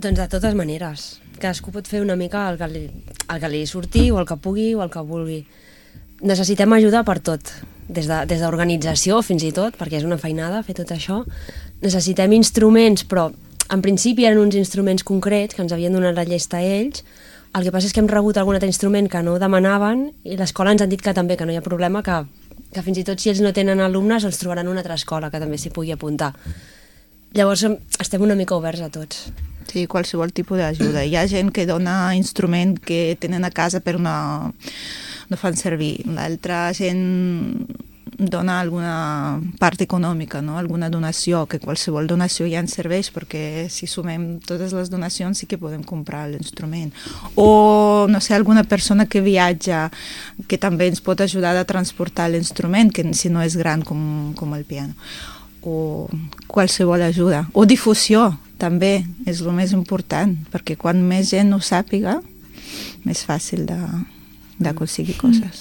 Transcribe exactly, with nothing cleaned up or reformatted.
Doncs de totes maneres. Cadascú pot fer una mica el que li, el que li surti o el que pugui o el que vulgui. Necessitem ajuda per tot, des de, des d'organització fins i tot, perquè és una feinada fer tot això. Necessitem instruments, però en principi eren uns instruments concrets que ens havien donat la llesta a ells. El que passa és que hem rebut algun altre instrument que no demanaven i l'escola ens han dit que també, que no hi ha problema, que, que fins i tot si ells no tenen alumnes els trobaran una altra escola que també s'hi pugui apuntar. Llavors estem una mica oberts a tots. Sí, qualsevol tipus d'ajuda. Hi ha gent que dona instrument que tenen a casa però no, no fan servir. L'altra gent dona alguna part econòmica, no? Alguna donació, que qualsevol donació ja ens serveix, perquè si sumem totes les donacions sí que podem comprar l'instrument. O, no sé, alguna persona que viatja, que també ens pot ajudar a transportar l'instrument, que si no és gran com, com el piano. O qualsevol ajuda. O difusió, també, és el més important, perquè quan més gent ho sàpiga, més fàcil d'aconseguir coses.